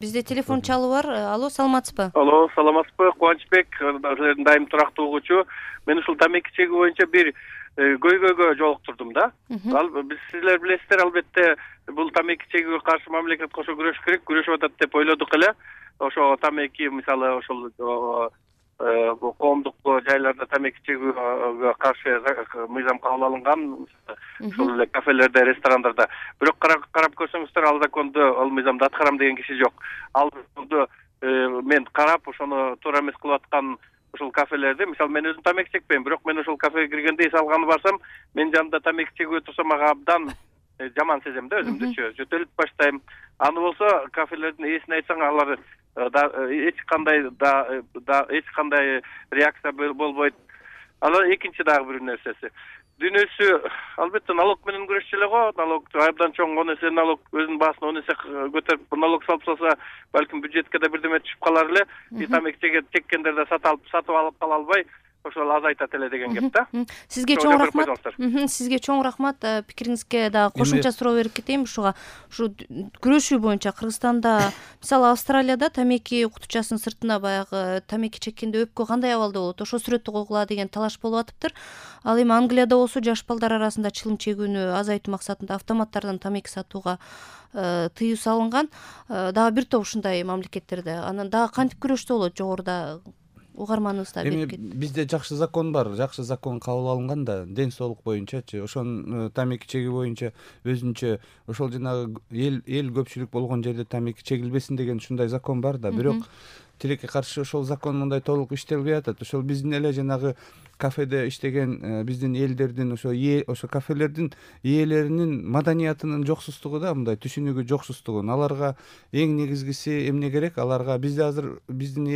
Бизде телефон чалуу бар. Алло, саламатсызбы? Алло, саламатсызбы? Кубанычбек, силердин дайым турактуу угуучу. Мен ушул тамеки чегүү боюнча бир көйгөйгө жолуктурдум да. Биз силер билесиздер, албетте, бул тамеки чегүүгө каршы мамлекет кошо күрөшүш керек, күрөшүп атат деп ойлодук эле. Ошо тамеки, мисалы, ошол коомдук жайларда тамеки чегүүгө каршы мыйзам кабыл алынган, ошол эле кафелерде, ресторандарда. Бирок карап көрсөңүздөр, ал законду, ал мыйзамды аткарам деген киши жок. Ал законду мен карап, ошону туура эмес кылып аткан ушул кафелерде, мисалы, мен өзүм тамеки чекпейм, бирок мен ошол кафеге киргенде эс алганы барсам, мен жанында тамеки чегип отурсам, мага абдан жаман сезем да, өзүмдүчү, жөтөлүп баштайм. Аны болсо кафелердин ээсине айтсаң, алар эч кандай реакция болбойт. Анан экинчи дагы бир нерсеси. Дүйнөсү албетте налог менен күрөшчү эле го. Налог абдан чоң, 10 эсе налог, өзүнүн баасын 10 эсе көтөрүп налог салып салса, балким бюджетке да бирдеме түшүп калар эле. Тамеки чеккендер да сатып алып кала албай, ошол азайтат эле деген кеп да. Сизге чоң рахмат. Сизге чоң рахмат. Пикириңизге дагы кошумча суроо берип кетейин ушуга. Ушу күрөшүү боюнча Кыргызстанда, мисалы, Австралияда тамеки кутучасынын сыртына баягы тамеки чеккенде өпкө кандай абалда болот, ошо сүрөттү койгула деген талаш болуп атыптыр. Ал эми Англияда болсо жаш балдар арасында чылым чегүүнү азайтуу максатында автоматтардан тамеки сатууга тыюу салынган. Дагы бир топ ушундай мамлекеттерде. Анан дагы кантип күрөштүү болот, жогоруда угарманыбызда берип кетти. Бизде жакшы закон бар, жакшы закон кабыл алынган да, ден соолук боюнчачы. Ошон тамеки чегүү боюнча өзүнчө ошол жанагы эл көпчүлүк болгон жерде тамеки чегилбесин деген ушундай закон бар да. Бирок тилекке каршы ошол закон мындай толук иштелбей атат. Ошол биздин эле жанагы кафеде иштеген биздин элдердин, ошо кафелердин ээлеринин маданиятынын жоксуздугу да, мындай түшүнүгү жоксуздугу. Аларга эң негизгиси эмне керек? Аларга бизде азыр биздин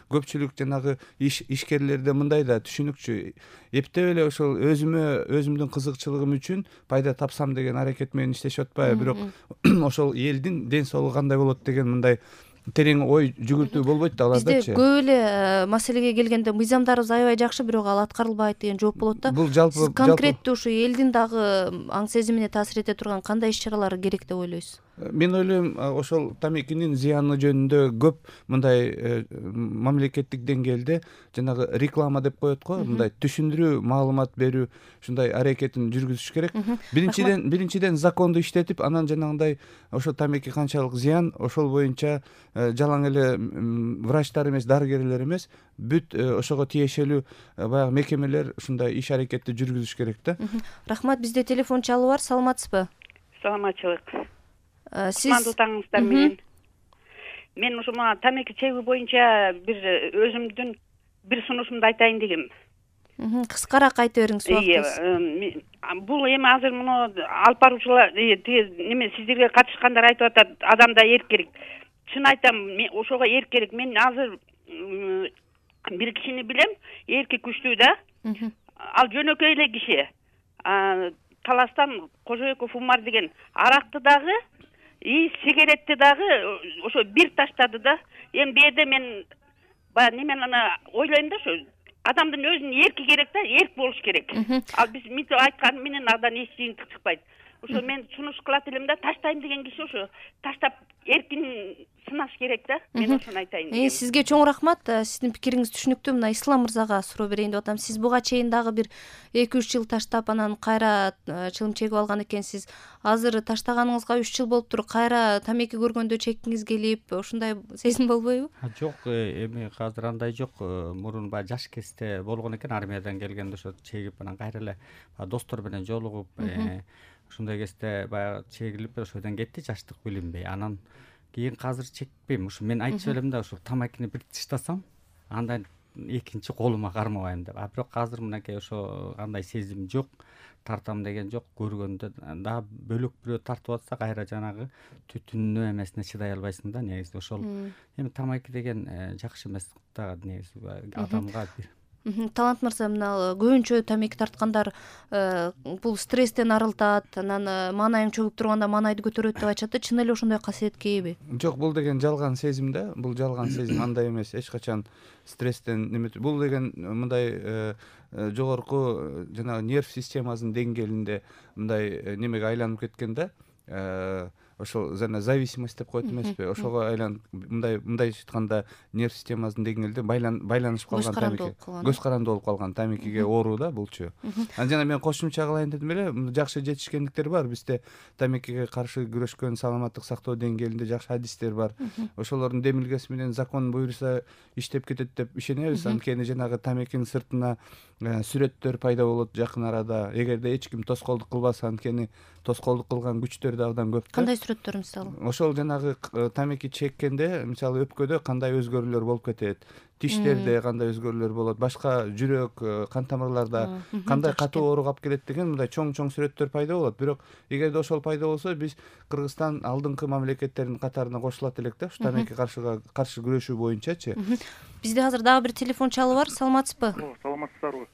көпчүлүк жанагы ишкерлерде мындай да түшүнүкчү. Эптеп эле ошол өзүмдүн кызыкчылыгым үчүн пайда тапсам деген аракет менен иштешип атпайбы, бирок ошол элдин ден соолугу кандай болот деген мындай терең ой жүгүртүү болбойт да алардачы. Бизде көп эле маселеге келгенде мыйзамдарыбыз аябай жакшы, бирок ал аткарылбайт деген жооп болот да. Бул жалпы сиз конкреттүү ушу элдин дагы аң сезимине таасир эте турган кандай иш-чаралар керек деп ойлойсуз? Мен ойлойм, ошол тамекинин зыяны жөнүндө көп мындай мамлекеттик деңгээлде жанагы реклама деп коет го, мындай түшүндүрүү, маалымат берүү, ушундай аракетин жүргүзүш керек. Биринчиден законду иштетип, анан жанагындай ошо тамеки канчалык зыян, ошол боюнча жалаң эле врачтар эмес, дарыгерлер эмес, бүт ошого тиешелүү баягы мекемелер ушундай иш аракетти жүргүзүш керек да. Рахмат. Бизде телефон чалуу бар. Саламатсызбы? Саламатчылык. Сиз Кутмандуу таңыңыздар менен. Мен ушу тамеки чегүү боюнча бир өзүмдүн бир сунушумду айтайын дегем. Кыскараак айта бериңиз, убактыбыз. Бул эми азыр муну алып баруучулар неме сиздерге катышкандар айтып атат, адамда эрк керек. Чын айтам, мен ошого эрк керек. Мен азыр бир кишини билем, эрки күчтүү да. Ал жөнөкөй эле киши. Таластан Кожоеков Умар деген аракты дагы, сигаретти дагы ошо бир таштады да. Эми бу жерде мен баягы немен ойлойм да, ошо адамдын өзүнүн эрки керек да, эрк болуш керек. Ал биз мынтип айткан менен андан эч жыйынтык чыкпайт. Ошо мен сунуш кылат элем да, таштайм деген киши ошо таштап эркин сынаш керек да. Мен ошону айтайын дегем. Сизге чоң рахмат. Сиздин пикириңиз түшүнүктүү. Мына Ислам мырзага суроо берейин деп атам. Сиз буга чейин дагы бир 2-3 жыл таштап, анан кайра чылым чегип алган экенсиз. Азыр таштаганыңызга 3 жыл болуптур. Кайра тамеки көргөндө чеккиңиз келип, ушундай сезим болбойбу? Жок, эми азыр андай жок. Мурун баягы жаш кезде болгон экен, армиядан келгенде ошо чегип, анан кайра эле достор менен жолугуп, ушундай кезде баягы чегилип, ошодон кетти жаштык билинбей. Анан кийин азыр чекпейм. Ушу мен айтып элем да, ушу тамакини бир тыштасам, андан экинчи колума кармабайм деп. Бирок азыр мынакей ошо андай сезим жок, тартам деген жок. Көргөндө дагы бөлөк бирөө тартып атса, кайра жанагы түтүнүнө эмесине чыдай албайсың да, негизи ошол. Эми тамаки деген жакшы эмес да, негизи адамга бир. Талант мырза, мына көбүнчө тамеки тарткандар бул стресстен арылтат, анан маанайың чөгүп турганда маанайды көтөрөт деп айтышат да. Чын эле ошондой касиетке ээби? Жок, бул деген жалган сезим да. Бул жалган сезим, андай эмес. Эч качан стресстен бул деген мындай жогорку жанагы нерв системасынын деңгээлинде мындай немеге айланып кеткен да. ошол зависимость деп коет эмеспи, ошого айланып мындайча айтканда нерв системасынын деңгээлде байланышып калган тамеки, көз каранды болуп калган тамекиге оору да булчу. Анан жана мен кошумча кылайын дедим эле, жакшы жетишкендиктер бар бизде, тамекиге каршы күрөшкөн саламаттык сактоо деңгээлинде жакшы адистер бар. Ошолордун демилгеси менен закон буюрса иштеп кетет деп ишенебиз. Анткени жанагы тамекинин сыртына сүрөттөр пайда болот жакын арада, эгерде эч ким тоскоолдук кылбаса, анткени тоскоолдук кылган күчтөр да абдан көп. Кандай сүрөттөр мисалы? Ошол жанагы тамеки чеккенде мисалы өпкөдө кандай өзгөрүүлөр болуп кетет, тиштерде кандай өзгөрүүлөр болот, башка жүрөк, кан тамырларда кандай катуу ооруга алып келет деген мындай чоң сүрөттөр пайда болот. Бирок эгерде ошол пайда болсо, биз Кыргызстан алдыңкы мамлекеттердин катарына кошулат элек да, ушу тамеки каршы күрөшүү боюнчачы. Бизде азыр дагы бир телефон чалуу бар. Саламатсызбы? Саламатсыздарбы?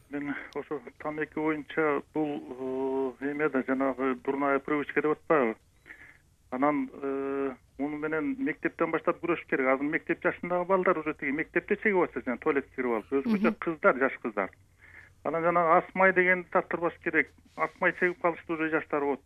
Мен ошо тамеки боюнча бул эмеде жанагы дурная привычка деп атпайбы? Анан муну менен мектептен баштап күрөшүш керек. Азыр мектеп жашындагы балдар уже тиги мектепте чегип атса, жана туалетке кирип алып, өзгөчө кыздар, жаш кыздар. Анан жанагы асмай дегенди тартырбаш керек. Асмай чегип калышты уже жаштар болот.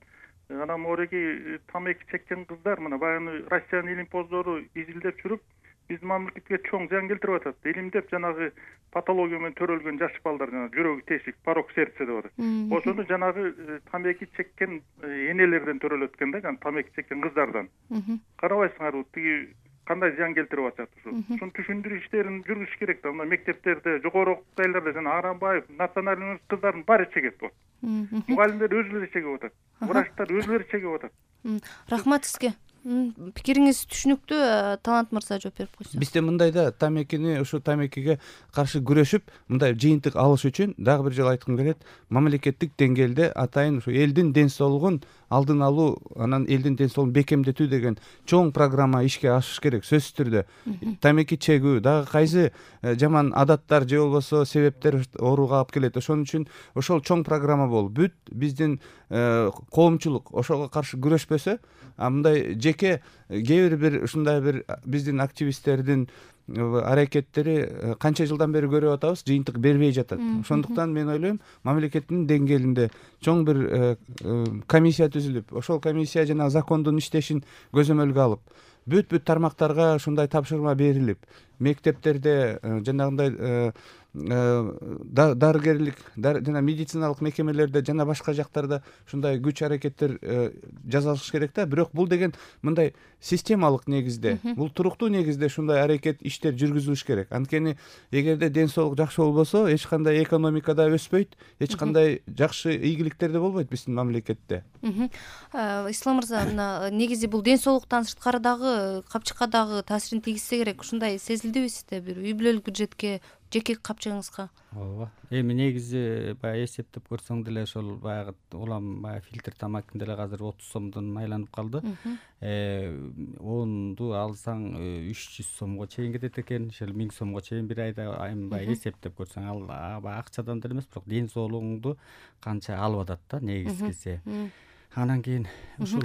Анан мореги тамеки чеккен кыздар мына баягы Россиянын илимпоздору изилдеп жүрүп, биздин мамлекетке чоң зыян келтирип атат. Илимдеп жанагы патология менен төрөлгөн жаш балдар, жанагы жүрөгү тешик, порок сердца деп атат. Ошону жанагы тамеки чеккен энелерден төрөлөт экен да, жана тамеки чеккен кыздардан. Карабайсыңарбы, тиги кандай зыян келтирип атат ушу. Ушуну түшүндүрүү иштерин жүргүзүш керек да. Мына мектептерде, жогору окуу жайларда жана Арамбаев, национальный университет кыздарын баары чегет болот. Мугалимдер өзүлөрү чегип атат. Врачтар өзүлөрү чегип атат. Рахмат сизге. Пикириңиз түшүнүктүү. Талант мырза жооп берип койсо. Бизде мындай да, тамекини ушу тамекиге каршы күрөшүп, мындай жыйынтык алыш үчүн дагы бир жолу айткым келет, мамлекеттик деңгээлде атайын ушу элдин ден соолугун алдын алуу, анан элдин ден соолугун бекемдетүү деген чоң программа ишке ашыш керек, сөзсүз түрдө. Тамеки чегүү, дагы кайсы жаман адаттар же болбосо себептер ооруга алып келет. Ошон үчүн ошол чоң программа болуп, бүт биздин коомчулук ошого каршы күрөшпөсө, мындай жеке кээ бир ушундай бир биздин активисттердин аракеттери канча жылдан бери көрүп атабыз, жыйынтык бербей жатат. Ошондуктан мен ойлойм, мамлекеттин деңгээлинде чоң бир комиссия түзүлүп, ошол комиссия жана закондун иштешин көзөмөлгө алып, бүт тармактарга ушундай тапшырма берилип, мектептерде жанагындай дарыгерлик жана медициналык мекемелерде жана башка жактарда ушундай күч аракеттер жасалыш керек да. Бирок бул деген мындай системалык негизде, бул туруктуу негизде ушундай аракет иштер жүргүзүлүш керек. Анткени эгерде ден соолук жакшы болбосо, эч кандай экономика да өспөйт, эч кандай жакшы ийгиликтер да болбойт биздин мамлекетте. Ислам мырза, мына негизи бул ден соолуктан сырткары дагы капчыкка дагы таасирин тийгизсе керек. Ушундай сезилдиби сизде бир үй бүлөлүк бюджетке, жеке капчыгыңызга? Ооба. Эми негизи баягы эсептеп көрсөң деле ошол баягы улам баягы фильтр тамактын деле азыр 30 сомдон айланып калды. 10ду алсаң 300 сомго чейин кетет экен, ошол 1000 сомго чейин бир айда баягы эсептеп көрсөң, ал баягы акчадан деле эмес, бирок ден соолугуңду канча алып атат да негизгиси. Анан кийин ушул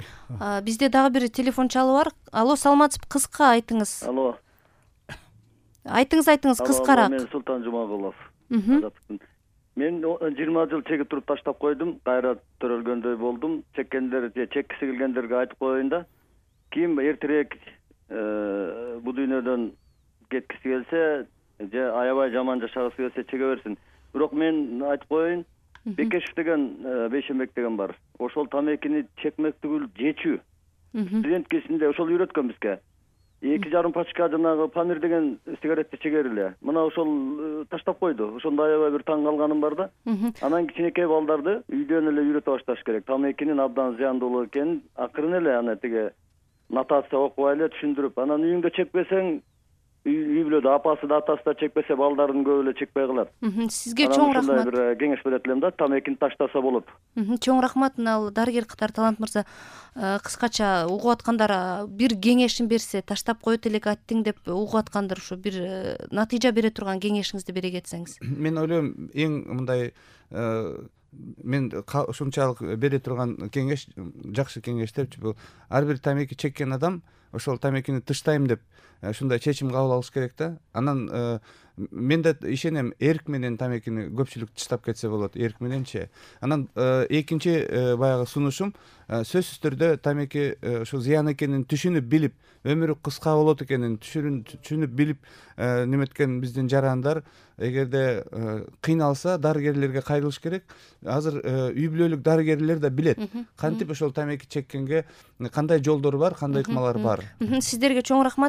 бизде дагы бир телефон чалуу бар. Алло, саламатсызбы? Кыска айтыңыз. Алло. Айтыңыз кыскараак. Мен Султан Жумагулов. Мен 20 жыл чегип туруп таштап койдум, кайра төрөлгөндөй болдум. Чеккендер же чеккиси келгендерге айтып коеюн да. Ким эртерээк бул дүйнөдөн кеткиси келсе, же аябай жаман жашагысы келсе чеге берсин. Бирок мен айтып коеюн, Бекешев деген Бейшембек деген бар. Ошол тамекини чекмек түгүл жечүү. Студент кезинде ошол үйрөткөн бизге. 2,5 пачка жанагы Памир деген сигаретти чегер эле. Мына ошол таштап койду. Ошондо аябай бир таң калганым бар да. Анан кичинекей балдарды үйдөн эле үйрөтө башташ керек. Тамекинин абдан зыяндуулугу экенин акырын эле аны тиги нотация окубай эле түшүндүрүп, анан үйүңдө чекпесең, үй бүлөдө апасы да атасы да чекпесе, балдарын көп эле чекпей калат. Сизге чоң рахмат. Бир кеңеш берет элем да, тамекини таштаса болот. Чоң рахмат. Ал дарыгер катары Талант мырза кыскача угуп аткандар бир кеңешин берсе, таштап коет элек аттиң деп угуп аткандар ушу бир натыйжа бере турган кеңешиңизди бере кетсеңиз. Мен ойлойм, эң мындай мен ушунчалык бере турган кеңеш, жакшы кеңеш депчи, бул ар бир тамеки чеккен адам ошол тамекини тыштайм деп ушундай чечим кабыл алыш керек да. Анан мен да ишенем, эрк менен тамекини көпчүлүк тыштап кетсе болот, эрк мененчи. Анан экинчи баягы сунушум, сөзсүз түрдө тамеки ушул зыян экенин түшүнүп билип, өмүрү кыска болот экенин түшүнүп билип неметкен биздин жарандар эгерде кыйналса дарыгерлерге кайрылыш керек. Азыр үй бүлөлүк дарыгерлер да билет кантип ошол тамеки чеккенге кандай жолдор бар, кандай ыкмалар бар. Сиздерге чоң рахмат.